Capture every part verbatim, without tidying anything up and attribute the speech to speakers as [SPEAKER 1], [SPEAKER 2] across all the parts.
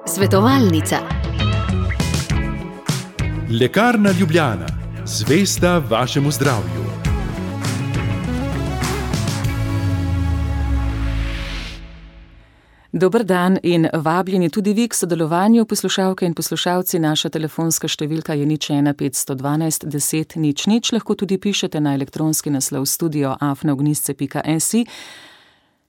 [SPEAKER 1] Svetovalnica.
[SPEAKER 2] Lekarna Ljubljana, zvesta vašemu zdravju.
[SPEAKER 3] Dober dan in vabljeni tudi vi k sodelovanju, poslušalke in poslušalci. Naša telefonska številka je nič ena petsto dvanajst deset nič nič. Lahko tudi pišete na elektronski naslov studio afna ognjisce pika si.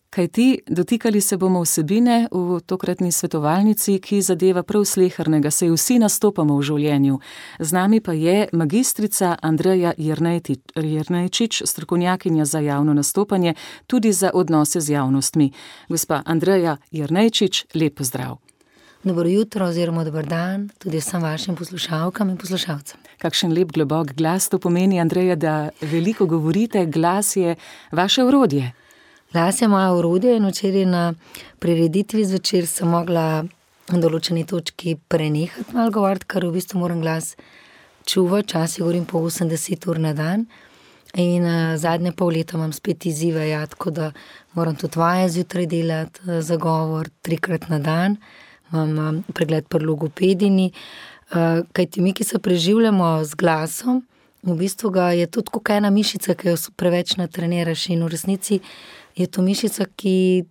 [SPEAKER 3] Kaj ti, dotikali se bomo vsebine v tokratni svetovalnici, ki zadeva prav slehernega, saj vsi nastopamo v življenju. Z nami pa je magistrica Andreja Jernejčič, strokovnjakinja za javno nastopanje, tudi za odnose z javnostmi. Gospa Andreja Jernejčič, lep pozdrav.
[SPEAKER 4] Dobro jutro oziroma dober dan tudi vsem vašim poslušalkam in poslušalcem.
[SPEAKER 3] Kakšen lep globok glas to pomeni, Andreja, da veliko govorite, glas je vaše orodje.
[SPEAKER 4] Glas je moja orodje in včeraj na prireditvi zvečer sem mogla na določeni točki prenehati malo govoriti, ker v bistvu moram glas čuvati, včasih govorim po osemdeset ur na dan in uh, zadnje pol leta imam spet izzive, ja, tako da moram tudi vaje zjutraj delati uh, za govor trikrat na dan, imam um, pregled pri logopedini, uh, kajti mi, ki se preživljamo z glasom, v bistvu ga je tudi kot ena mišica, ki jo preveč natreniraš in v resnici je to mišica, ki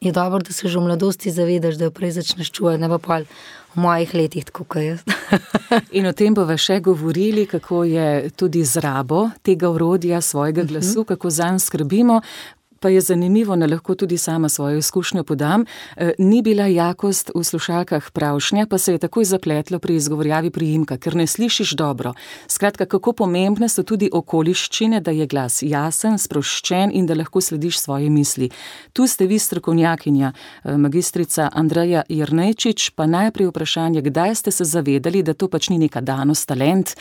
[SPEAKER 4] je dobro, da se že v mladosti zavedaš, da jo prej začneš čuvati, ne pa pol v mojih letih, tako kot jaz.
[SPEAKER 3] In o tem bova še govorili, kako je tudi z rabo tega orodja, svojega glasu, uh-huh. kako zanj skrbimo. Pa je zanimivo, da lahko tudi sama svojo izkušnjo podam. E, ni bila jakost v slušalkah pravšnja, pa se je takoj zapletlo pri izgovorjavi priimka, ker ne slišiš dobro. Skratka, kako pomembne so tudi okoliščine, da je glas jasen, sproščen in da lahko slediš svoje misli. Tu ste vi strokovnjakinja, magistrica Andreja Jernejčič, pa najprej vprašanje, kdaj ste se zavedali, da to pač ni neka danost, talent,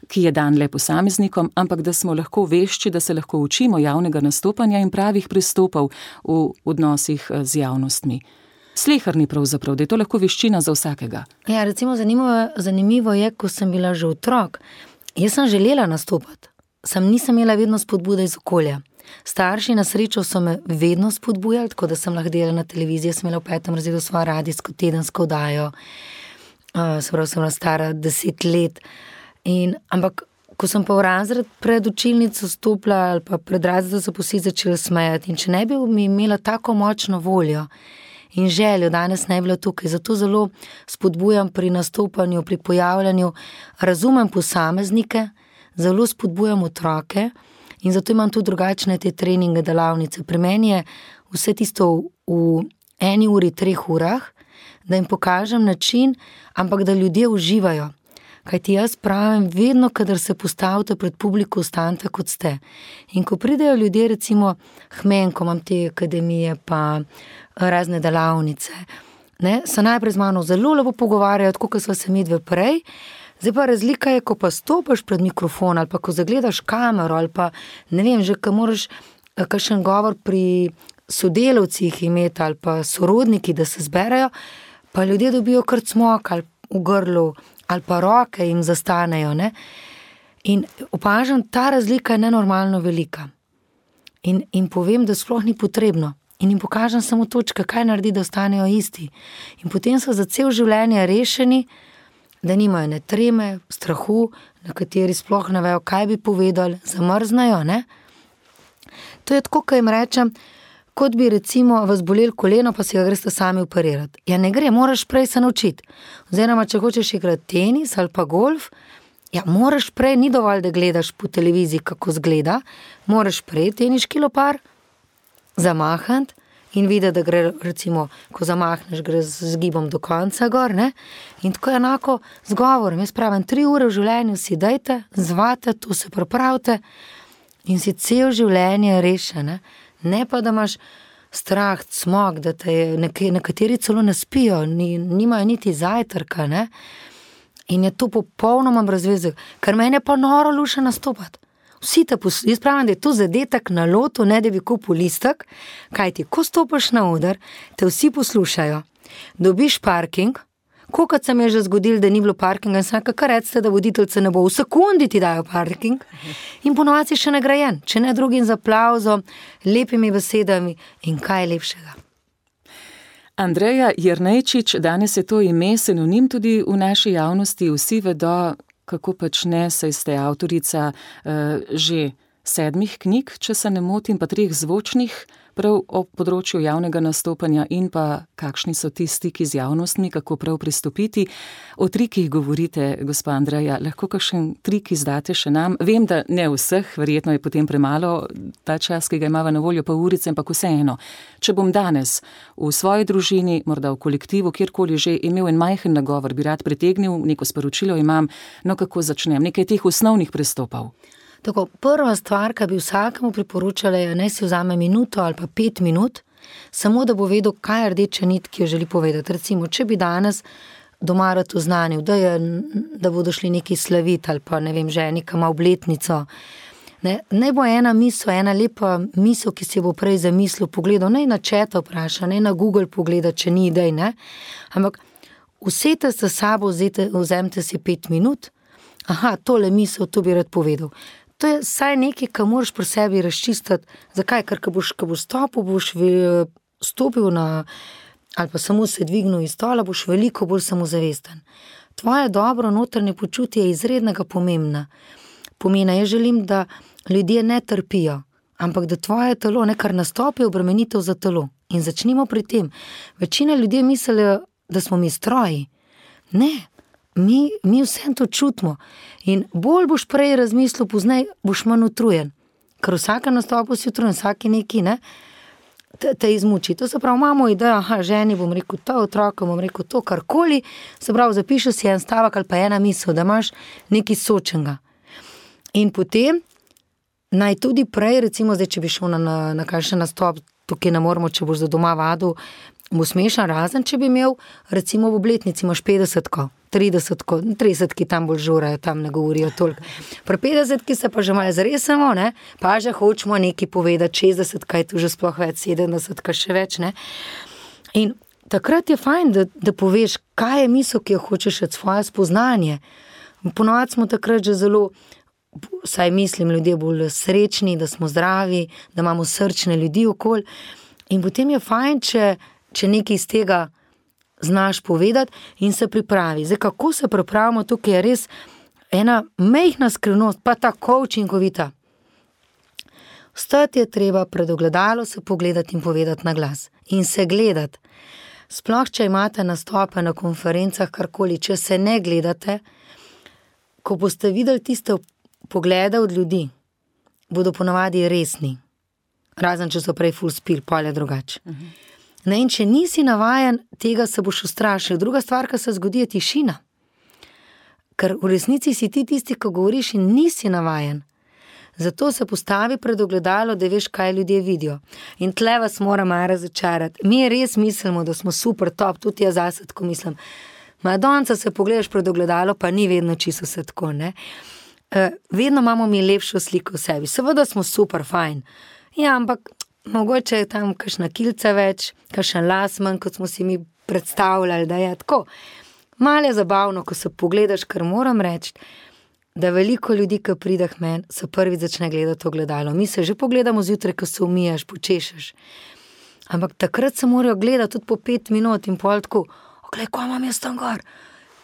[SPEAKER 3] ki je dan le posameznikom, ampak da smo lahko vešči, da se lahko učimo javnega nastopanja in pravih pristopov v odnosih z javnostmi. Sleherni pravzaprav, da je to lahko veščina za vsakega.
[SPEAKER 4] Ja, recimo zanimivo, zanimivo je, ko sem bila že otrok, jaz sem želela nastopati, sem nisem imela vedno spodbude iz okolja. Starši na srečo so me vedno spodbujali, tako da sem lahko delala na televiziji, sem imela v petem razredu svojo radijsko tedensko oddajo, uh, se pravi, sem bila stara deset let. In, ampak, ko sem pa v razred pred učilnico stopila ali pa pred razred, da so pa vsi začeli smejati in če ne bi mi imela tako močno voljo in željo, danes ne bi bila tukaj, zato zelo spodbujam pri nastopanju, pri pojavljanju, razumem posameznike, zelo spodbujam otroke in zato imam tudi drugačne te treninge, delavnice. Pri meni je vse tisto v, v eni uri, treh urah, da jim pokažem način, ampak da ljudje uživajo. Kajti jaz pravim, vedno, kadar se postavite pred publiko, ostanite kot ste. In ko pridejo ljudje, recimo hmen, ko imam te akademije, pa razne delavnice, ne, se najprej z mano zelo lepo pogovarjajo, tako kot sva se midve prej. Zdaj pa razlika je, ko pa stopiš pred mikrofon, ali pa ko zagledaš kamero, ali pa ne vem, že ko moraš kakšen govor pri sodelavcih imeti, ali pa sorodniki, da se zberajo, pa ljudje dobijo kar cmok ali v grlu, ali pa roke jim zastanejo, ne. In opažam, ta razlika je nenormalno velika. In, in povem, da sploh ni potrebno. In jim pokažem samo točke, kaj naredi, da ostanejo isti. In potem so za cel življenje rešeni, da nimajo ne treme, strahu, na kateri sploh ne vejo, kaj bi povedali, zamrznajo, ne. To je tako, ko jim rečem, kot bi recimo vas bolelo koleno, pa si ga greste sami operirati. Ja, ne gre, moraš prej se naučiti. Oziroma, če hočeš igrati tenis ali pa golf, ja, moraš prej, ni dovolj, da gledaš po televiziji, kako zgleda, moraš prej teniški lopar zamahati in videti, da gre, recimo, ko zamahneš, gre z gibom do konca gor, ne? In tako je enako z govorom. Jaz pravim, tri ure v življenju si dajte, zvate, to se pripravite in si cel življenje reše, ne? Ne pa, da imaš strah, cmok, da te nekateri celo ne spijo, ni, nimajo niti zajtrka, ne? In je to popolnoma brezveze, ker meni je pa noro luše nastopati. Vsi te poslušajo, jaz pravim, da je to zadetek na lotu, ne da bi kupil listek, kajti, ko stopiš na oder, te vsi poslušajo, dobiš parking, kolikrat se mi je že zgodilo, da ni bilo parkinga in sem rekel, kar recite, da voditeljce ne bo, v sekundi ti dajo parking in ponovadi si še nagrajen, če ne drugim z aplavzom, lepimi besedami in kaj lepšega.
[SPEAKER 3] Andreja Jernejčič, danes je to ime sinonim tudi v naši javnosti. Vsi vedo, kako počne, saj ste avtorica uh, že sedmih knjig, če se ne motim, pa treh zvočnih, prav o področju javnega nastopanja in pa kakšni so ti stiki z javnostmi, kako prav pristopiti. O trikih govorite, gospa Andreja, lahko kakšen trik izdate še nam? Vem, da ne vseh, verjetno je potem premalo ta čas, ki ga imava na voljo, pa urice, ampak vseeno. Če bom danes v svoji družini, morda v kolektivu, kjerkoli že, imel en majhen nagovor, bi rad pritegnil, neko sporočilo imam, no kako začnem, nekaj teh osnovnih pristopov.
[SPEAKER 4] Tako, prva stvar, ki bi vsakemu priporočala, je, naj si vzame minuto ali pa pet minut, samo da bo vedel, kaj je rdeča nit, ki jo želi povedati. Recimo, če bi danes doma rad oznanil, da, je, da bodo šli neki slaviti ali pa ne vem, že nekam obletnico. Ne, ne bo ena misel, ena lepa misel, ki si bo prej zamislil, pogledal, naj na četa vpraša, naj na Google pogleda, če ni idej, ne. Ampak usete se sabo, vzete, vzemite si pet minut, aha, tole misel, to bi rad povedal. To je saj nekaj, kar moraš pri sebi razčistiti. Zakaj? Ker ko boš, ko boš stopil, boš stopil na, ali pa samo se dvignil iz stola, boš veliko bolj samozavesten. Tvoje dobro notranje počutje je izrednega pomembna. Pomena, jaz želim, da ljudje ne trpijo, ampak da tvoje telo nekar nastopi obremenitev za telo. In začnimo pri tem. Večina ljudje mislijo, da smo mi stroji. Ne. Mi, mi vsem to čutimo in bolj boš prej razmislil, poznej boš manj utrujen, ker vsaka nastopu si utrujen, vsaki neki, ne, te, te izmuči. To se pravi, imamo idejo, aha, ženi bom rekel to, otrokom bom rekel to, karkoli, se pravi, zapišeš si en stavek ali pa ena misel, da imaš nekaj sočenega. In potem naj tudi prej, recimo zdaj, če bi šel na, na, na kakšen nastop, tukaj ne moramo, če boš za doma vadil, bo smešan, razen če bi imel, recimo v obletnici imaš petdesetko, tridesetko, tridesetki tam bolj žurajo, tam ne govorijo toliko. Pri petdesetki se pa že malo zresemo, ne, pa že hočemo nekaj povedati, šestdesetka je tu že sploh več, sedemdesetka še več, ne. In takrat je fajn, da, da poveš, kaj je misel, ki jo hočeš od svoje spoznanje. Ponovadi smo takrat že zelo, saj mislim, ljudje bolj srečni, da smo zdravi, da imamo srčne ljudi okoli. In potem je fajn, če če nekaj iz tega znaš povedati in se pripravi. Zdaj, kako se pripravimo, tukaj je res ena majhna skrivnost, pa tako učinkovita. Vstati je treba, pred ogledalo se pogledati in povedati na glas. In se gledati. Sploh, če imate nastope na konferencah, karkoli, če se ne gledate, ko boste videli tiste poglede od ljudi, bodo ponavadi resni. Razen, če so prej full spil, pa je drugače. Uh-huh. Ne, in če nisi navajen, tega se boš ustrašil. Druga stvar, ki se zgodi, je tišina. Ker v resnici si ti tisti, ko govoriš in nisi navajen. Zato se postavi pred ogledalo, da veš, kaj ljudje vidijo. In tle vas mora malo razočarati. Mi res mislimo, da smo super top, tudi jaz zase tako mislim. Madonca se pogledaš pred ogledalo, pa ni vedno čisto vse tako, ne. Uh, vedno imamo mi lepšo sliko v sebi. Seveda smo super fajn. Ja, ampak mogoče je tam kakšna kilca več, kakšen las manj, kot smo si mi predstavljali, da je tako. Malo je zabavno, ko se pogledaš, ker moram reči, da veliko ljudi, ki pride k meni, se prvič začne gledati ogledalo. Mi se že pogledamo zjutraj, ko se umijaš, počešeš. Ampak takrat se morajo gledati tudi po pet minut in pol tako, oglej, ko imam jaz tam gor.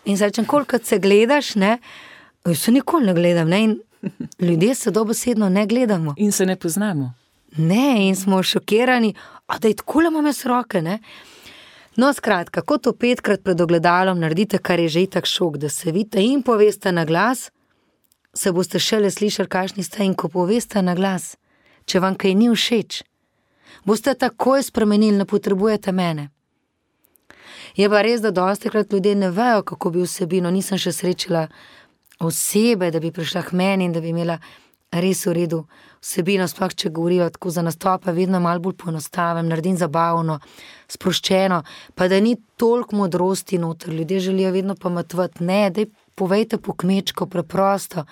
[SPEAKER 4] In zdaj, kolikrat se gledaš, ne, se nikoli ne gledam, ne, in ljudje se dobesedno ne gledamo.
[SPEAKER 3] In se ne poznamo.
[SPEAKER 4] Ne, in smo šokirani, a da je tako le imam jaz roke, ne. No, skratka, kako to petkrat pred ogledalom naredite, kar je že itak šok, da se vidite in poveste na glas, se boste šele slišali, kakšni ste, in ko poveste na glas, če vam kaj ni všeč, boste takoj spremenili, ne potrebujete mene. Je pa res, da dostikrat ljudje ne vejo, kako bi vsebino, nisem še srečala osebe, da bi prišla k meni in da bi imela res v redu vsebino, sploh če govorijo tako za nastope, vedno malo bolj poenostavim, naredim zabavno, sproščeno, pa da ni toliko modrosti noter, ljudje želijo vedno pametovati, ne, daj povejte po kmečko, preprosto.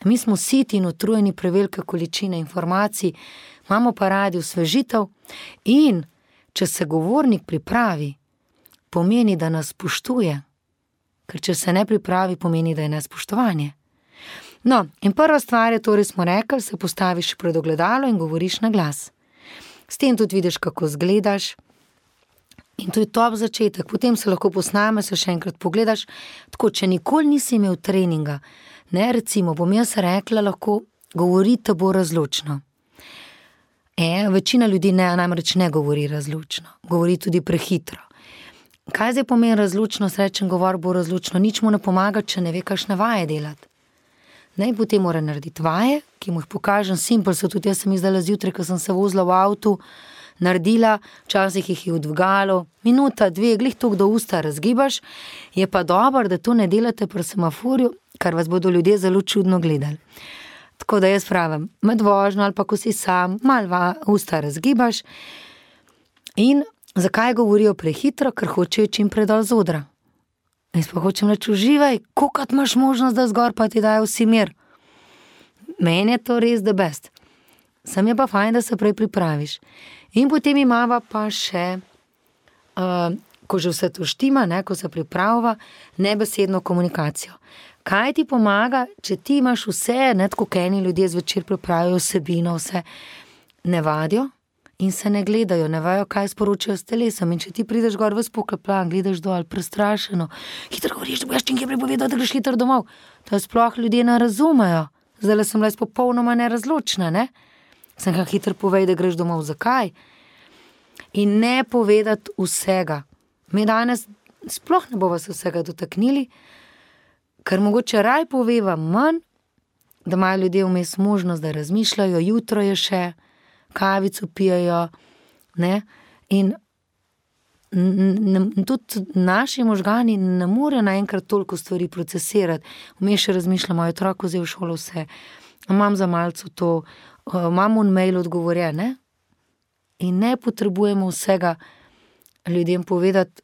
[SPEAKER 4] Mi smo siti in utrujeni prevelike količine informacij, imamo pa radi osvežitev in če se govornik pripravi, pomeni, da nas spoštuje, ker če se ne pripravi, pomeni, da je nespoštovanje. No, in prva stvar je, torej smo rekli, se postaviš pred ogledalo in govoriš na glas. S tem tudi vidiš, kako zgledaš, In to je top začetek, potem se lahko posname, se še enkrat pogledaš. Tako, če nikoli nisi imel treninga, ne, recimo, bom jaz rekla, lahko govorite bo razločno. E, večina ljudi ne, namreč ne govori razločno, govori tudi prehitro. Kaj zdaj pomeni razločno, srečen govor bo razločno, nič mu ne pomaga, če ne ve, kakšne vaje delati. Ne, potem mora narediti vaje, ki mu jih pokažem, simpel so tudi, jaz sem jih zdaj zjutraj, ko sem se vozila v avtu, naredila, včasih jih je odvgalo, minuta, dve, glih toliko do usta razgibaš, je pa dobro, da to ne delate pri semaforju, kar vas bodo ljudje zelo čudno gledali. Tako da jaz pravim, med vožnjo ali pa ko si sam, malo usta razgibaš. In zakaj govorijo prehitro? Ker hočejo čim prej dol z odra. Jaz pa hočem reči, uživaj, kolikrat imaš možnost, da zgor pa ti dajo vsi mir. Meni je to res the best. Sam je pa fajn, da se prej pripraviš. In potem imava pa še, uh, ko že vse to štima, ne, ko se pripravlja, nebesedno komunikacijo. Kaj ti pomaga, če ti imaš vse, ne, tako eni ljudje zvečer pripravijo vsebino, vse ne vadijo in se ne gledajo, ne vajo, kaj sporočajo s telesom. In če ti prideš gor ves pokaplan, gledaš dol, prestrašeno, hitro govoriš, da boš čim kje prepovedal, da greš hitro domov. To sploh ljudje ne razumejo. Zdaj sem bila popolnoma nerazločna, ne? Sem ga hitro povej, da greš domov. Zakaj? In ne povedati vsega. Mi danes sploh ne bova se vsega dotaknili, ker mogoče raj poveva manj, da imajo ljudje vmes možnost, da razmišljajo, jutro je še, kavico pijajo, ne, in n- n- tudi naši možgani ne morejo naenkrat toliko stvari procesirati. Vmes še razmišljamo, moj otrok vzel v šolo vse, imam za malce to, imam un mail odgovorjen, ne, in ne potrebujemo vsega ljudem povedati,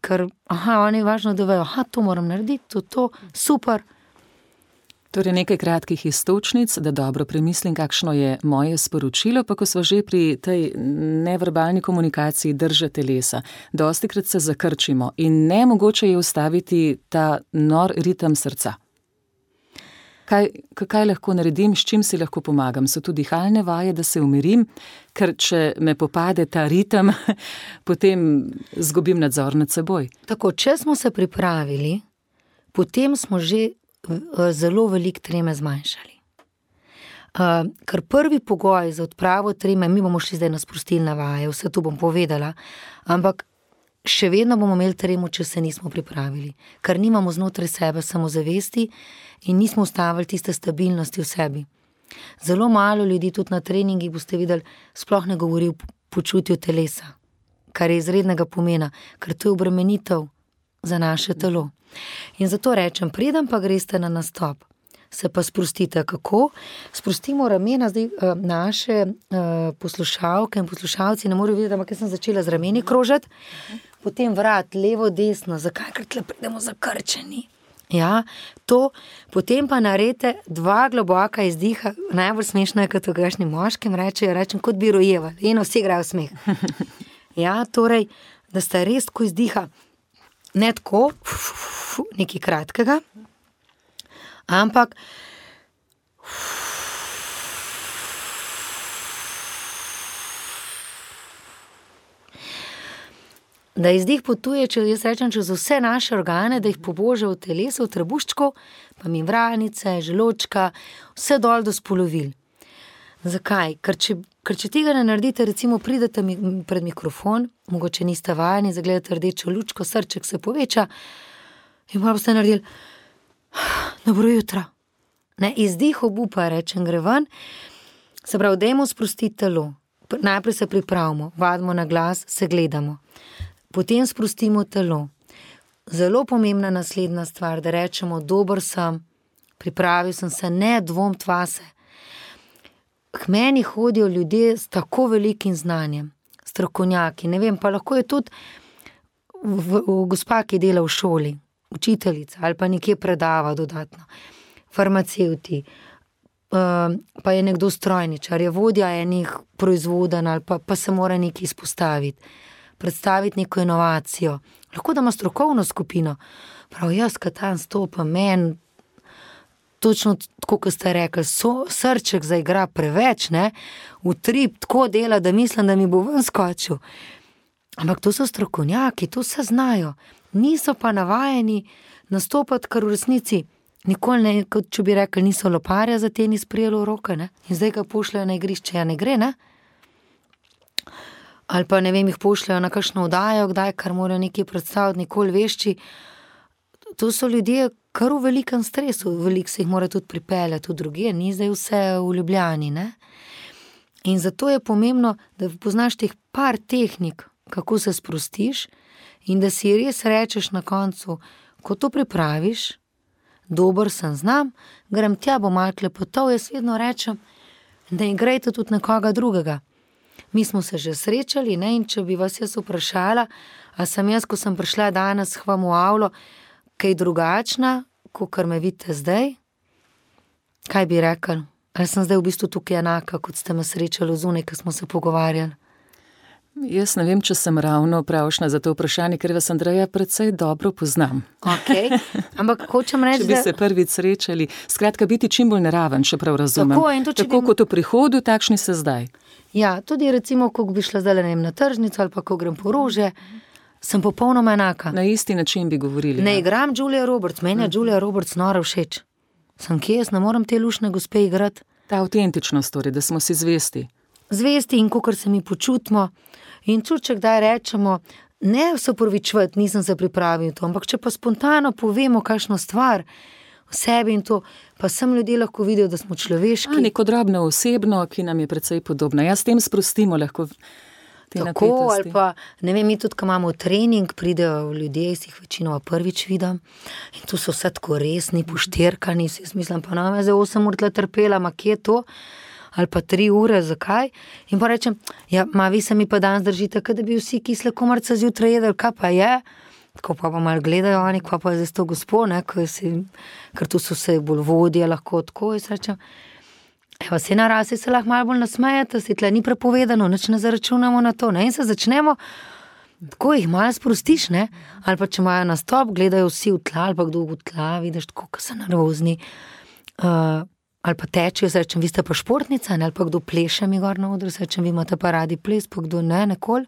[SPEAKER 4] ker, aha, oni je važno, da vejo, aha, to moram narediti, to, to, super.
[SPEAKER 3] Torej nekaj kratkih iztočnic, da dobro premislim, kakšno je moje sporočilo, pa ko smo že pri tej neverbalni komunikaciji drže telesa. Dostikrat se zakrčimo in nemogoče je ustaviti ta nor ritem srca. Kaj, kaj lahko naredim, s čim si lahko pomagam? So tu dihalne vaje, da se umirim, ker če me popade ta ritem, potem zgubim nadzor nad seboj.
[SPEAKER 4] Tako, če smo se pripravili, potem smo že zelo veliko treme zmanjšali. Uh, ker prvi pogoj za odpravo treme, mi bomo šli zdaj na sprostilne vaje, vse to bom povedala, ampak še vedno bomo imeli tremo, če se nismo pripravili, ker nimamo znotraj sebe samozavesti in nismo ustavili tiste stabilnosti v sebi. Zelo malo ljudi tudi na treningih, boste videli, sploh ne govori o počutju telesa, kar je izrednega pomena, ker to je obremenitev za naše telo. In zato rečem, preden pa greste na nastop, se pa sprostite. Kako? Sprostimo ramena, zdaj uh, naše uh, poslušalke in poslušalci ne morejo videti, ampak jaz sem začela z rameni krožati, potem vrat, levo, desno, zakaj, ker tle pridemo zakrčeni. Ja, to, potem pa naredite dva globoka izdiha, najbolj smešno je, kot grešni moškim rečejo, rečem, kot bi rojevali, eno vsi igrajo smeh. Ja, torej, da sta res tako izdiha, ne tako, nekaj kratkega, ampak da izdih potuje, če jaz rečem, čez vse naše organe, da jih pobože v telesu, v trebuščku, pa membranice, želočka, vse dol do spolovil. Zakaj? Ker če, ker če tega ne naredite, recimo pridete mi, pred mikrofon, mogoče niste vajeni, zagledate rdečo lučko, srček se poveča in pa boste naredili dobro jutro. Ne, izdih obupa, rečem, gre ven, se pravi, dajmo sprostiti telo. Najprej se pripravimo, vadimo na glas, se gledamo. Potem sprostimo telo. Zelo pomembna naslednja stvar, da rečemo, dober sem, pripravil sem se, ne dvom tvase. K meni hodijo ljudje s tako velikim znanjem, strokovnjaki, ne vem, pa lahko je tudi v, v gospa, ki dela v šoli, učiteljica ali pa nekje predava dodatno, farmacevti, uh, pa je nekdo strojničar, je vodja enih proizvoden ali pa, pa se mora nekaj izpostaviti, predstaviti neko inovacijo. Lahko da ima strokovno skupino, prav jaz, kad tam stopam, men, točno tako, kot ste rekli, so, srček zaigra preveč, ne, utrip tako dela, da mislim, da mi bo ven skočil. Ampak to so strokovnjaki, to vse znajo. Niso pa navajeni nastopati, kar v resnici nikoli ne, kot če bi rekli, niso loparja za tenis prijelo v roke, ne? In zdaj ga pošljajo na igrišče, ja ne gre, ne? Ali pa ne vem, jih pošljajo na kakšno oddajo, kdaj, kar morajo nekaj predstaviti, nikoli vešči. To so ljudje kar v velikem stresu, veliko se jih mora tudi pripeljati v drugje, ni zdaj vse v Ljubljani, ne? In zato je pomembno, da poznaš teh par tehnik, kako se sprostiš in da si res rečeš na koncu, ko to pripraviš, dober sem znam, grem tja, bo malo klepotov, jaz vedno rečem, da igrajte tudi nekoga drugega. Mi smo se že srečali, ne, in če bi vas jaz vprašala, a sem jaz, ko sem prišla danes k vam v avlo, kaj drugačna, kakor me vidite zdaj, kaj bi rekel? Ali sem zdaj v bistvu tukaj enaka, kot ste me srečali zunaj, ko smo se pogovarjali?
[SPEAKER 3] Jaz ne vem, če sem ravno pravšna za to vprašanje, ker vas, Andreja, precej dobro poznam.
[SPEAKER 4] Ok, ampak hočem reči,
[SPEAKER 3] če bi se prvič srečali, skratka biti čim bolj naraven, če prav razumem.
[SPEAKER 4] Tako, in to, če
[SPEAKER 3] Tako
[SPEAKER 4] bi...
[SPEAKER 3] kot v prihodu, takšni se zdaj.
[SPEAKER 4] Ja, tudi recimo, ko bi šla zdaj, ne vem, na tržnico ali pa ko grem po rože, sem popolnoma enaka.
[SPEAKER 3] Na isti način bi govorili.
[SPEAKER 4] Ne
[SPEAKER 3] ja.
[SPEAKER 4] igram Julia Roberts, meni je Julia Roberts nora všeč. Sem kje, jaz ne moram te lušne gospe igrati.
[SPEAKER 3] Ta avtentičnost, torej, da smo si zvesti.
[SPEAKER 4] Zvesti in kakor se mi počutimo. In tudi, če kdaj rečemo, ne se opravičevati, nisem se pripravil to, ampak če pa spontano povemo kakšno stvar v sebi in to, pa sem ljudje lahko vidijo, da smo človeški.
[SPEAKER 3] A, neko drobno osebno, ki nam je precej podobna. Ja, s tem sprostimo lahko te
[SPEAKER 4] Tako,
[SPEAKER 3] napetosti.
[SPEAKER 4] ali pa, ne vem, mi tudi, ko imamo trening, pridejo ljudje, jaz jih večinoma prvič vidim in tu so vse tako resni, pošterkani, jaz mislim, pa nam je zdaj osem ur tle trpela, ma kje je to? Ali pa tri ure, zakaj? In pa rečem, ja, ma vi se mi pa danes držite, kada bi vsi kisle komarce zjutraj jedel, kaj pa je? Tako pa pa malo gledajo oni, kaj pa je zdaj to gospo, ne, si, ker tu so se bolj vodje, lahko tako, jaz rečem, evo, se na rasi se lahko malo bolj nasmejete, si tle ni prepovedano, nič ne zaračunamo na to, ne, in se začnemo, tako jih malo sprostiš, ne, ali pa če imajo nastop, gledajo vsi v tla, ali pa kdo v tla, vidiš, tako, ko so nervozni, uh, ali pa tečejo, se rečem, vi ste pa športnica, ne? Ali pa kdo pleše mi gor na odru, se rečem, vi imate pa radi ples, pa kdo ne, nekoli,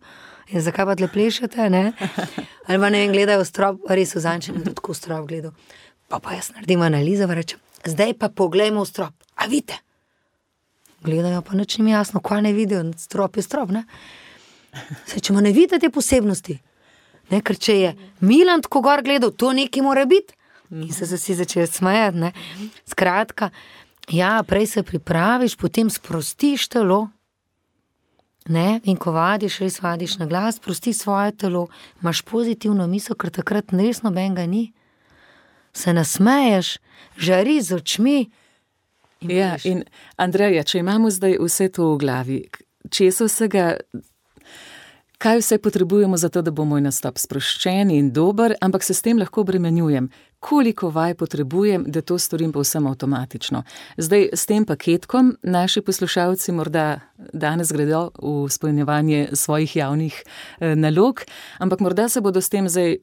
[SPEAKER 4] in zakaj pa tle plešete, ne? Ali pa ne vem, gledajo strop, res v zančem, tudi tako strop gledal, pa pa jaz naredim analizo, pa rečem, zdaj pa poglejmo v strop, a vidite? Gledajo, pa nič ni mi jasno, kaj ne vidijo, strop je strop, ne? Se rečemo, ne vidite te posebnosti, ne, ker če je Milan tako gor gledal, to nekaj mora biti, in se vsi začeli smejati, ne? Skratka, ja, prej se pripraviš, potem sprostiš telo, ne, in ko vadiš, res vadiš na glas, sprosti svoje telo, imaš pozitivno misel, ker takrat res nobenega ni, se nasmeješ, žari z očmi. In
[SPEAKER 3] ja,
[SPEAKER 4] piš.
[SPEAKER 3] in Andreja, če imamo zdaj vse to v glavi, česa vsega, kaj vse potrebujemo za to, da bo moj nastop sproščen in dober, ampak se s tem lahko obremenjujem. Koliko vaj potrebujem, da to storim povsem avtomatično. Zdaj, s tem paketkom naši poslušalci morda danes gredo v izpolnjevanje svojih javnih eh, nalog, ampak morda se bodo s tem zdaj,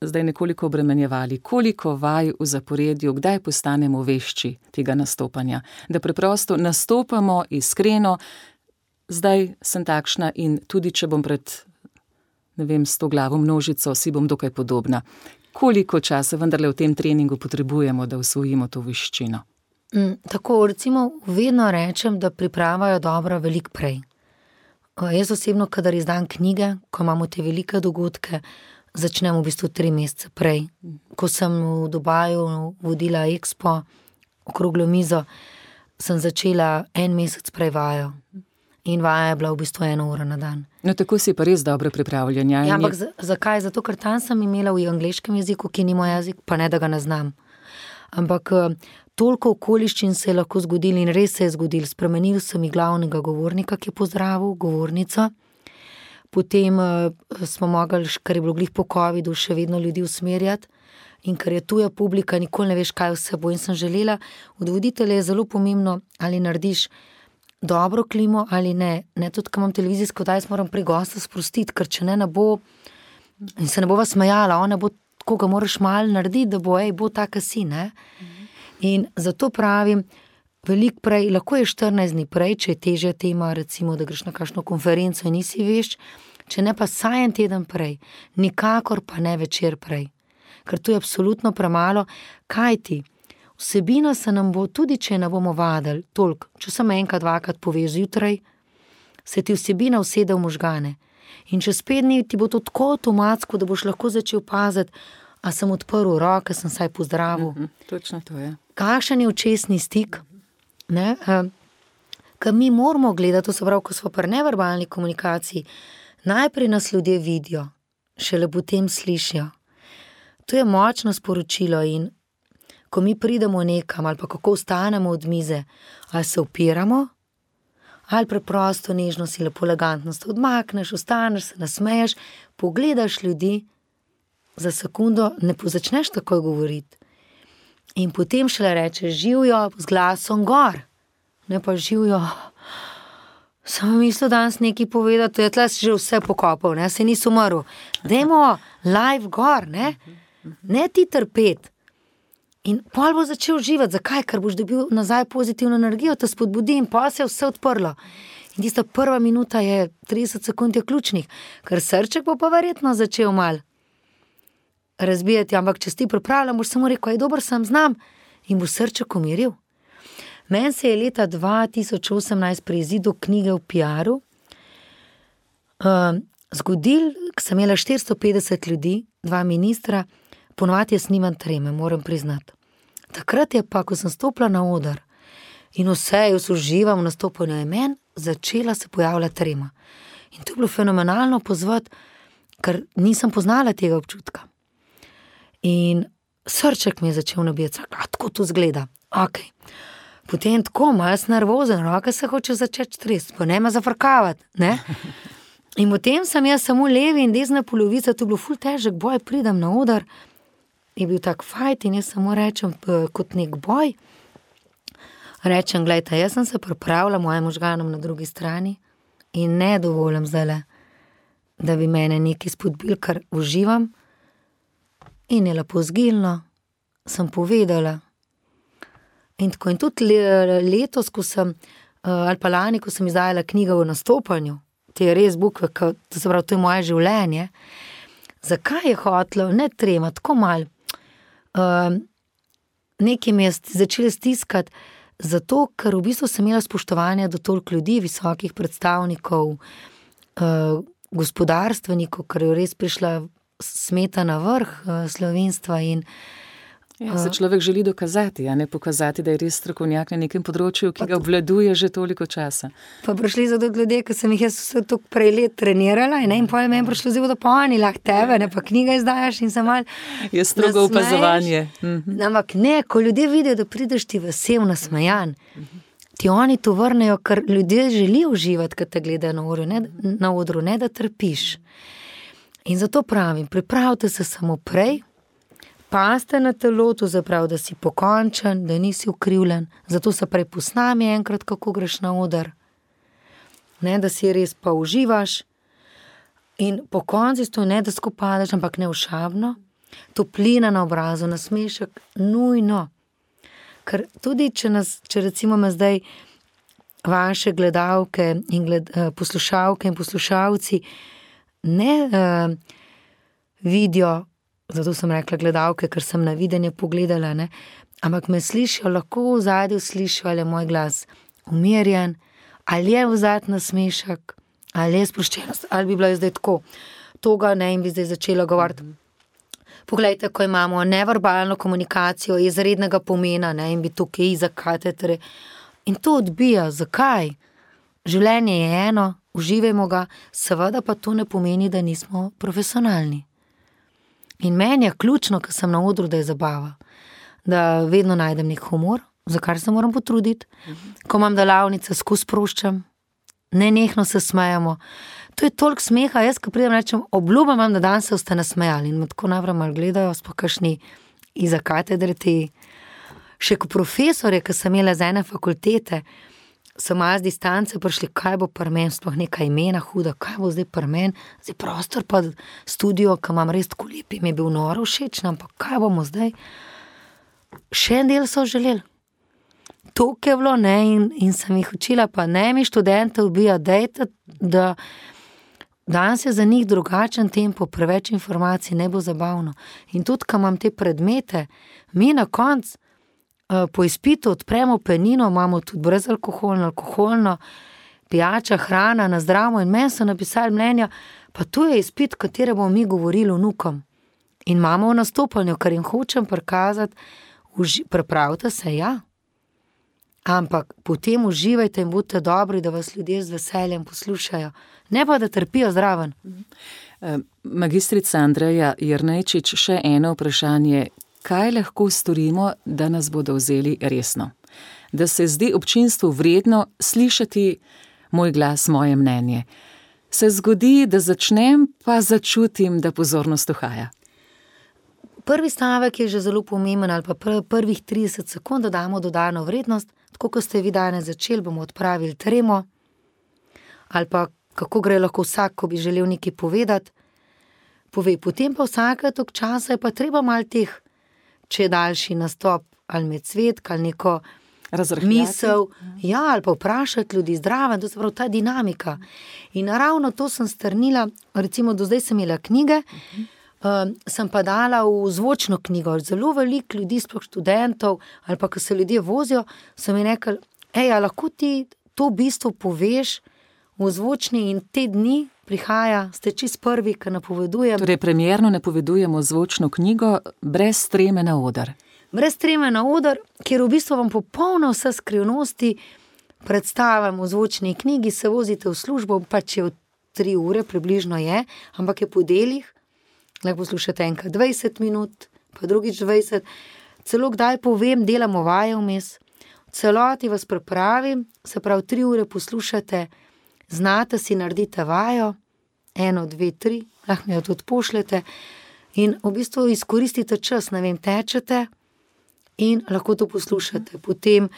[SPEAKER 3] zdaj nekoliko obremenjevali. Koliko vaj v zaporedju, kdaj postanemo vešči tega nastopanja? Da preprosto nastopamo iskreno, zdaj sem takšna in tudi, če bom pred, ne vem, sto glavo množico, si bom dokaj podobna. Koliko časa vendarle v tem treningu potrebujemo, da usvojimo to veščino?
[SPEAKER 4] Mm, tako, recimo, vedno rečem, da pripravajo dobro veliko prej. O, jaz osebno, kadar izdam knjige, ko imamo te velike dogodke, začnem v bistvu tri mesece prej. Ko sem v Dubaju vodila Expo, okroglo mizo, sem začela en mesec prej vajo. In vaja je bila v bistvu eno uro na dan.
[SPEAKER 3] No, tako si pa res dobro pripravljen. Ja,
[SPEAKER 4] ja, ampak z, zakaj? Zato, ker tam sem imela v angleškem jeziku, ki ni moj jezik, pa ne, da ga ne znam. Ampak toliko okoliščin se je lahko zgodilo in res se je zgodilo. Spremenil sem i glavnega govornika, ki je pozdravil, govornico. Potem uh, smo mogli, ker je bilo glih po covidu, še vedno ljudi usmerjati. In ker je tuja publika, nikoli ne veš, kaj vse bo. In sem želela, od voditelja je zelo pomembno, ali narediš dobro klimo ali ne. Ne, tudi, ko imam televizijsko oddajo, moram pri gosta sprostiti, ker če ne, ne bo, in se ne bova smejala, on ne bo, tako ga moraš malo narediti, da bo, ej, bo taka si, ne. In zato pravim, veliko prej, lahko je štirinajst dni prej, če je težja tema, recimo, da greš na kakšno konferenco in nisi vešč, če ne pa saj en teden prej, nikakor pa ne večer prej. Ker to je absolutno premalo, kaj ti? Vsebina se nam bo, tudi če ne bomo vadili, toliko, če sem enkrat, dvakrat poveš zjutraj, se ti vsebina usede v možgane. In čez pet dni ti bo to tako avtomatsko, da boš lahko začel paziti, a sem odprl roke, sem saj pozdravil.
[SPEAKER 3] Mhm, točno to je.
[SPEAKER 4] Kakšen je očesni stik? Ne? Ker mi moramo gledati, to se pravi, ko smo pri neverbalni komunikaciji, najprej nas ljudje vidijo, šele potem slišijo. To je močno sporočilo in ko mi pridemo nekam ali pa kako vstanemo od mize, ali se upiramo, ali preprosto nežno si lepo elegantno se odmakneš, vstaneš, se nasmeješ, pogledaš ljudi, za sekundo ne začneš takoj govoriti. In potem šele rečeš živjo z glasom gor, ne pa živjo. Sem mislil danes nekaj povedati, to je tle si že vse pokopal, ne, se nisi umrl. Dajmo live gor, ne, ne ti trpeti. In pol bo začel živeti. Zakaj? Ker boš dobil nazaj pozitivno energijo, te spodbudi in pa se je vse odprlo. In tista prva minuta je, trideset sekund je ključnih, ker srček bo pa verjetno začel mal razbijati, ampak če si ti pripravljam, boš samo rekel, aj dober sem, znam, in boš srček umiril. Meni se je leta dva tisoč osemnajst pri izidu knjige v pi aru uh, zgodil, ko sem imela štiristo petdeset ljudi, dva ministra, ponovadi jaz nimam treme, moram priznati. Takrat je pa, ko sem stopila na oder in vse, jaz uživam v nastopanju, je meni začela se pojavljati trema. In to je bilo fenomenalno pozvati, ker nisem poznala tega občutka. In srček mi je začel nabijati, a tako to zgleda, ok. Potem tako, malo sem nervozen, roke se hoče začeti tresti, pa ne me zafrkavati, ne? In potem sem jaz samo levi in desna polovica, to je bilo ful težek boj, pridem na oder, je bil tak fajt in jaz samo rečem kot nek boj, rečem, gledajte, jaz sem se pripravila mojim možganom na drugi strani in ne dovolim zdajle, da bi mene nekaj spodbil, kar uživam, in je lepo zgilno, sem povedala. In tako, in tudi letos, ko sem, ali pa lani, ko sem izdajala knjigo v nastopanju, te je res bukve, to se pravi, to je moje življenje, zakaj je hotlo, ne trema, tako malo, Uh, nekaj me je začeli stiskati, zato, ker v bistvu sem imela spoštovanje do toliko ljudi, visokih predstavnikov, uh, gospodarstvenikov, ker je res prišla smeta na vrh uh, slovenstva in
[SPEAKER 3] Ja, se človek želi dokazati, a ne pokazati, da je res strokovnjak na nekem področju, ki ga obvladuje že toliko časa.
[SPEAKER 4] Pa prišli za do ljudje, ki sem jih jaz vse toliko prej let trenirala in, ne, in potem meni prišlo zelo, da pa oni lahko tebe, ne pa knjiga izdajaš in se mal
[SPEAKER 3] je strogo opazovanje. Mhm.
[SPEAKER 4] Ampak ne, ko ljudje vidijo, da prideš ti vesel, nasmejan, ti oni to vrnejo, ker ljudje želijo uživati, kad te gledajo na odru, ne, na odru, ne da trpiš. In zato pravim, pripravite se samo prej, paste na telo, to zaprav, da si pokončen, da nisi ukrivljen, zato se prej posnami enkrat, kako greš na oder, ne, da si res pa uživaš in po konci to ne, da skupadaš, ampak ne všabno, toplina na obrazu, nasmešek, nujno, ker tudi, če nas, če recimo me zdaj vaše gledalke in gled, poslušalke in poslušalci ne uh, vidijo, zato sem rekla gledalke, ker sem na videnje pogledala, ne? Ampak me slišijo, lahko v zadju slišijo, ali je moj glas umirjen, ali je v zadju nasmešek, ali je sproščenost, ali bi bila zdaj tako, toga ne in bi zdaj začela govoriti. Poglejte, ko imamo neverbalno komunikacijo izrednega pomena, ne, in bi tukaj za katetre, in to odbija, zakaj? Življenje je eno, uživajmo ga, seveda pa to ne pomeni, da nismo profesionalni. In meni je ključno, ko sem na odru, da je zabava, da vedno najdem nek humor, za kar se moram potruditi, ko imam delavnice, skozi sproščam, nenehno se smejamo. To je toliko smeha, jaz, ko pridem, rečem, obljubam vam, da danes se boste nasmejali in me tako najprej malo gledajo, sploh kakšni iza katedre te, še ko profesorje, ko sem imela z ene fakultete, so malo z distance prišli, kaj bo pri meni, sploh neka imena huda, kaj bo zdaj pri meni, zdaj prostor pa studio, ki imam res tako lepi, mi je bil noro všeč, ampak kaj bomo zdaj? Še en del so želeli. Toliko je bilo, ne, in, in sem jih učila, pa ne mi študente ubija, dejte, da danes je za njih drugačen tempo, preveč informacij, ne bo zabavno. In tudi, ko imam te predmete, mi na koncu uh, po izpitu odpremo penino, imamo tudi brezalkoholno, alkoholno, pijača, hrana, na zdravo in meni so napisali mnenja, pa tu je izpit, katere bomo mi govorili vnukom. In imamo v nastopanju, kar jim hočem prikazati, uži, pripravite se, ja. Ampak potem uživajte in budite dobri, da vas ljudje z veseljem poslušajo. Ne pa, da trpijo zraven.
[SPEAKER 3] Magistrica Andreja Jernejčič, še eno vprašanje. Kaj lahko storimo, da nas bodo vzeli resno? Da se zdi občinstvu vredno slišati moj glas, moje mnenje. Se zgodi, da začnem, pa začutim, da pozornost uhaja.
[SPEAKER 4] Prvi stavek je že zelo pomemben, ali pa prvih trideset sekund dodamo dodano vrednost, tako kot ste vi danes začeli, bomo odpravili tremo, ali pa kako gre lahko vsak, ko bi želel nekaj povedati, pove. Potem pa vsake tok časa je pa treba malo teh, če je daljši nastop, ali med cvetk, ali neko misel, ja, ali pa vprašati ljudi zdraven, to se pravi ta dinamika. In ravno to sem strnila, recimo do zdaj sem imela knjige, Uh, sem pa dala v zvočno knjigo. Zelo veliko ljudi, sploh študentov, ali pa ko se ljudje vozijo, so mi rekli, ej, a lahko ti to v bistvu poveš v zvočni, in te dni prihaja, ste čist prvi, ki napovedujem.
[SPEAKER 3] Torej, premierno napovedujemo zvočno knjigo brez treme na oder.
[SPEAKER 4] Brez treme na oder, kjer v bistvu vam popolno vse skrivnosti predstavim v zvočni knjigi, se vozite v službo, pa če v tri ure približno je, ampak je po delih, lahko poslušate enkrat dvajset minut, pa drugič dvajset, celo kdaj povem, delamo vaje vmes, v celoti vas pripravim, se pravi tri ure poslušate, znate si, naredite vajo, eno, dve, tri, lahko mi jo tudi pošljete in v bistvu izkoristite čas, ne vem, tečete in lahko to poslušate. Potem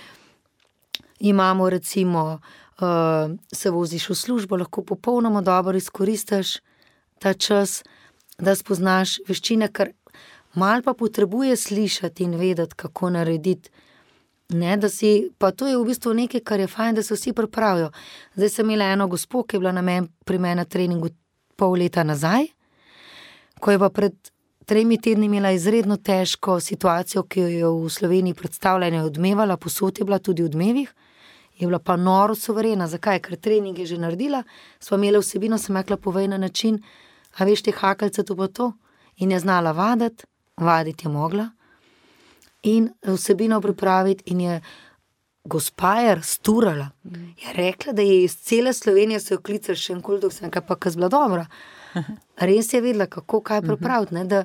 [SPEAKER 4] imamo recimo, uh, se voziš v službo, lahko popolnoma dobro izkoristiš ta čas, da spoznaš veščine, kar malo pa potrebuje slišati in vedeti, kako narediti. Ne, da si, pa to je v bistvu nekaj, kar je fajn, da se vsi pripravijo. Zdaj sem imela eno gospo, ki je bila na men, pri meni na treningu pol leta nazaj, ko je pa pred tremi tedni imela izredno težko situacijo, ki jo je v Sloveniji predstavljena, odmevala, posod je bila tudi v odmevih, je bila pa noro suverena. Zakaj? Ker trening je že naredila, sva imela vsebino, sem rekla, povej na način, a veš te hakeljce to pa to, in je znala vaditi, vaditi je mogla in vsebino pripraviti in je gospa je sturala. Je rekla, da je iz cele Slovenije se jo klicali še enkoli, dok sem nekaj pa kaz bila dobra. Res je vedela, kako kaj pripraviti, ne? Da,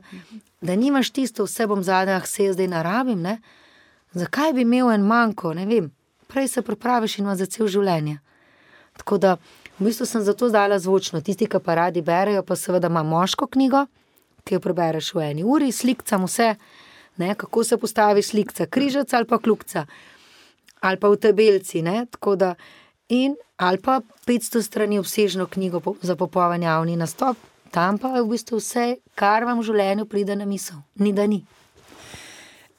[SPEAKER 4] da nimaš tisto, vse bom zadnja, se je zdaj narabim, ne? Zakaj bi imel en manjko, ne vem, prej se pripraviš in ima za cel življenje. Tako da v bistvu sem zato zdala zvočno. Tisti, ki pa radi berejo, pa seveda ima moško knjigo, ki jo prebereš v eni uri, slikcam vse, ne, kako se postavi slikca, križac ali pa kljukca, ali pa v tabelci, ne, tako da, in, ali pa petsto strani obsežno knjigo za popoln javni nastop, tam pa je v bistvu vse, kar vam v življenju pride na misel. Ni da ni.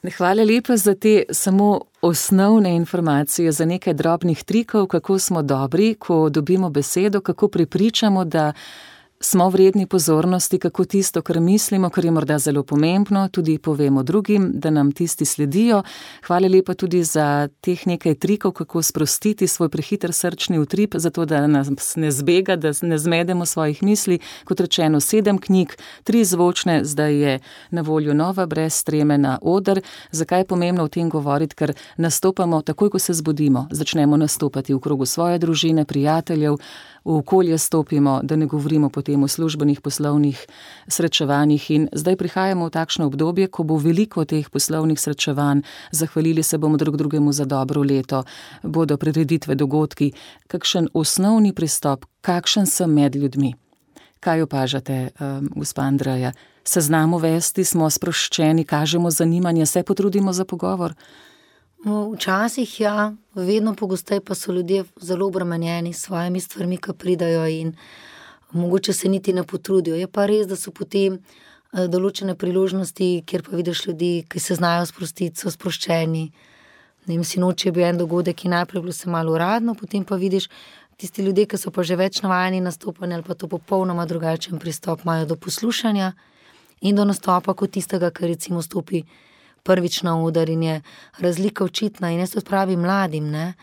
[SPEAKER 3] Hvala lepa za te samo osnovne informacije, za nekaj drobnih trikov, kako smo dobri, ko dobimo besedo, kako prepričamo, da smo vredni pozornosti, kako tisto, kar mislimo, kar je morda zelo pomembno, tudi povemo drugim, da nam tisti sledijo. Hvala lepa tudi za teh nekaj trikov, kako sprostiti svoj prehiter srčni utrip, zato da nas ne zbega, da ne zmedemo svojih misli. Kot rečeno, sedem knjig, tri zvočne, zdaj je na voljo nova brez treme na oder. Zakaj je pomembno o tem govoriti? Ker nastopamo takoj, ko se zbudimo, začnemo nastopati v krogu svoje družine, prijateljev, v okolje stopimo, da ne govorimo potem o službenih poslovnih srečevanjih, in zdaj prihajamo v takšno obdobje, ko bo veliko teh poslovnih srečevanj, zahvalili se bomo drug drugemu za dobro leto, bodo prireditve, dogodki. Kakšen osnovni pristop, kakšen sem med ljudmi? Kaj opažate, um, gospa Andreja? Se znamo vesti, smo sproščeni, kažemo zanimanje, se potrudimo za pogovor?
[SPEAKER 4] Včasih ja, vedno pogosteje pa so ljudje zelo obremenjeni s svojimi stvarmi, ki pridajo in mogoče se niti ne potrudijo. Je pa res, da so potem določene priložnosti, kjer pa vidiš ljudi, ki se znajo sprostiti, so sproščeni. Ne vem, sinoči je bil en dogodek, ki najprej bilo se malo uradno, potem pa vidiš, Tisti ljudje, ki so pa že več navajeni nastopanja ali pa to popolnoma drugačen pristop imajo do poslušanja in do nastopa kot tistega, ki recimo stopi prvič na oder in je razlika očitna. In jaz to pravim mladim, ne,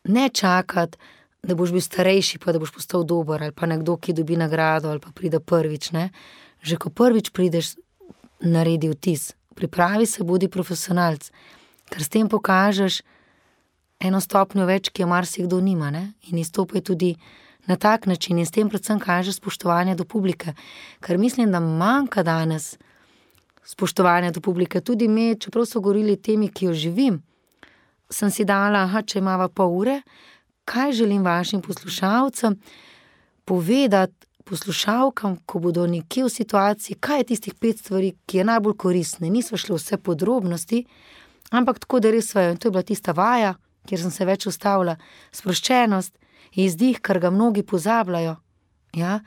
[SPEAKER 4] ne čakati, da boš bil starejši, pa da boš postal dober, ali pa nekdo, ki dobi nagrado, ali pa pride prvič, ne. Že ko prvič prideš, naredi vtis. Pripravi se, bodi profesionalc, ker s tem pokažeš eno stopnjo več, ki jo marsikdo nima, ne, in izstopaj tudi na tak način in s tem predvsem kaže spoštovanje do publike, ker mislim, da manjka danes spoštovanja do publike. Tudi me, čeprav so govorili temi, ki jo živim, sem si dala, aha, če imava pol ure, kaj želim vašim poslušalcem povedati, poslušalkam, ko bodo nekje v situaciji, kaj je tistih pet stvari, ki je najbolj koristne. Niso šle vse podrobnosti, ampak tako, da res svejo. In to je bila tista vaja, kjer sem se več ustavila, sproščenost, izdih, kar ga mnogi pozabljajo. Ja?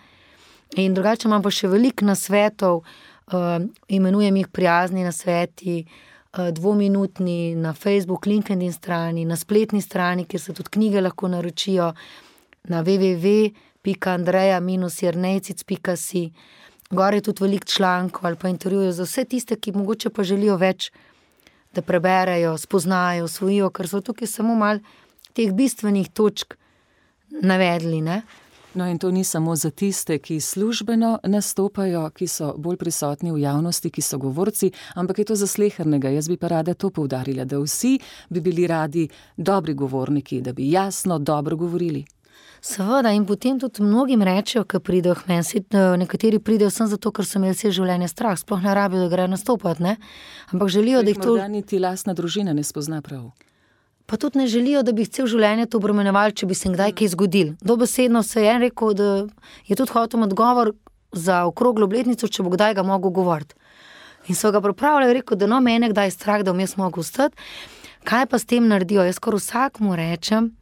[SPEAKER 4] In drugače imam pa še veliko nasvetov, uh, imenujem jih prijazni nasveti, uh, dvominutni na Facebook, LinkedIn strani, na spletni strani, kjer se tudi knjige lahko naročijo, na w w w pika andreja jernejcic pika si. Gor je tudi veliko člankov ali pa intervjujev za vse tiste, ki mogoče pa želijo več, da preberejo, spoznajo, osvojijo, ker so tukaj samo malo teh bistvenih točk navedli, ne.
[SPEAKER 3] No in to ni samo za tiste, ki službeno nastopajo, ki so bolj prisotni v javnosti, ki so govorci, ampak je to za slehernega. Jaz bi pa rada to poudarila, da vsi bi bili radi dobri govorniki, da bi jasno, dobro govorili.
[SPEAKER 4] Seveda, in potem tudi mnogim rečejo, ko pridejo k meni, nekateri pridejo sem zato, ker so imeli vse življenje strah, sploh ne rabijo, da grejo nastopati, ne, ampak želijo, da jih to...
[SPEAKER 3] Morda niti lastna družina ne spozna prav.
[SPEAKER 4] Pa tudi ne želijo, da bi jih cel življenje to obremenjevali, če bi se kdaj kaj zgodil. Dobesedno se je rekel, da je tudi hotel odgovor za okroglo obletnico, če bo kdaj ga mogel govoriti. In so ga pripravljali, rekel, da no, mene kdaj je strah, da bom jaz mogel vstati. Kaj pa s tem naredijo? Jaz skoraj vsakmu rečem,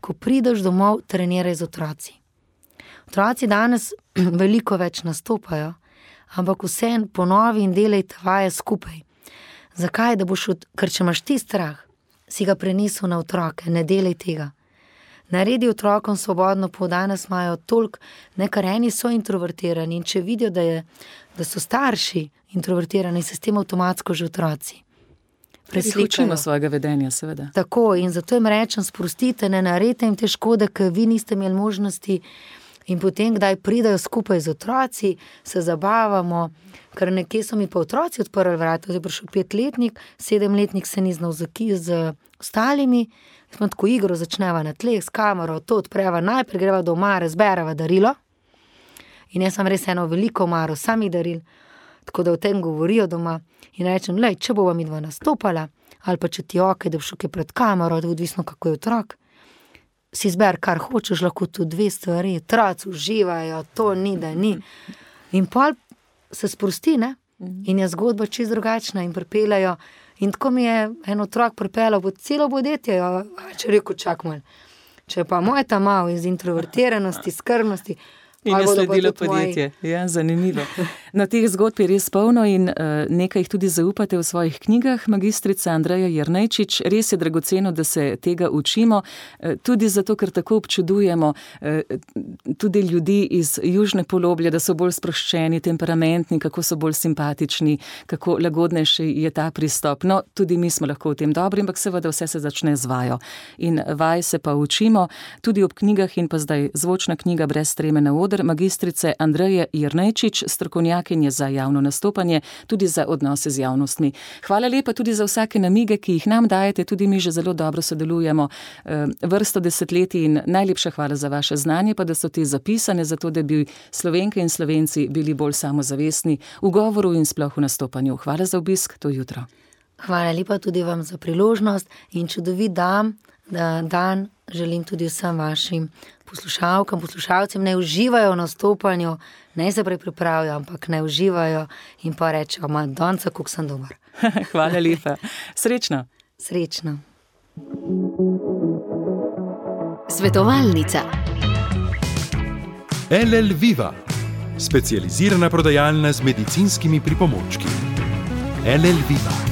[SPEAKER 4] ko prideš domov, treniraj z otroci. Otroci danes veliko več nastopajo, ampak vseeno ponovi in delajte vaje skupaj. Zakaj? Da boš od... Ker če imaš ti strah, si ga prenesel na otroke, ne delaj tega. Naredi otrokom svobodno pot, danes imajo toliko, nekar eni so introvertirani in če vidijo, da, je, da so starši introvertirani, se s tem avtomatsko že otroci preslikajo.
[SPEAKER 3] Učimo svojega vedenja, seveda.
[SPEAKER 4] Tako, in zato jim rečem, sprostite, ne naredite jim te škode, ker vi niste imeli možnosti in potem, kdaj pridajo skupaj z otroci, se zabavamo, ker nekje so mi pa otroci odprli vrata, zdaj prišel petletnik, sedemletnik se ni znal z, z ostalimi, smo tako igro začneva na tleh, s kamero, to odpreva, najprej greva do omare, zbereva darilo in jaz sem res eno veliko omaro samih daril, tako da o tem govorijo doma in rečem, lej, če bova midva nastopala, ali pa če ti okej, da boš šel pred kamero, da odvisno kako je otrok, si zber, kar hočeš, lahko tudi dve stvari, otroci uživajo, to ni, da ni. In pol se sprosti, ne? In je zgodba čisto drugačna in pripeljajo. In tako mi je en otrok pripeljal pod celo podjetje, če rekel, čak mal. Če pa moj ta mal iz introvertiranosti, skrbnosti,
[SPEAKER 3] in je sledilo podjetje. Ja, zanimivo. Na teh zgodb je res polno in uh, nekaj jih tudi zaupate v svojih knjigah, magistrica Andreja Jernejčič. Res je dragoceno, da se tega učimo, uh, tudi zato, ker tako občudujemo uh, tudi ljudi iz južne poloblje, da so bolj sproščeni, temperamentni, kako so bolj simpatični, kako lagodnejši je ta pristop. No, tudi mi smo lahko v tem dobri, ampak seveda vse se začne z vajo. In vaj se pa učimo, tudi ob knjigah in pa zdaj zvočna knjiga Brez treme na oder, magistrice Andreje Jernejčič, strokovnjakinje za javno nastopanje, tudi za odnose z javnostmi. Hvala lepa tudi za vsake namige, ki jih nam dajete, tudi mi že zelo dobro sodelujemo vrsto desetletij in najlepša hvala za vaše znanje, pa da so te zapisane, zato da bi Slovenke in Slovenci bili bolj samozavestni v govoru in sploh v nastopanju. Hvala za obisk to jutro.
[SPEAKER 4] Hvala lepa tudi vam za priložnost in čudovit dan, dan želim tudi vsem vašim poslušalkam, poslušalcem, ne uživajo v nastopanju, ne se prej pripravijo, ampak ne uživajo in pa rečejo, ma donca, kako sem dober.
[SPEAKER 3] Hvala lepa. Srečno.
[SPEAKER 4] Srečno.
[SPEAKER 1] Svetovalnica.
[SPEAKER 2] L L Viva, specializirana prodajalna z medicinskimi pripomočki. L L Viva.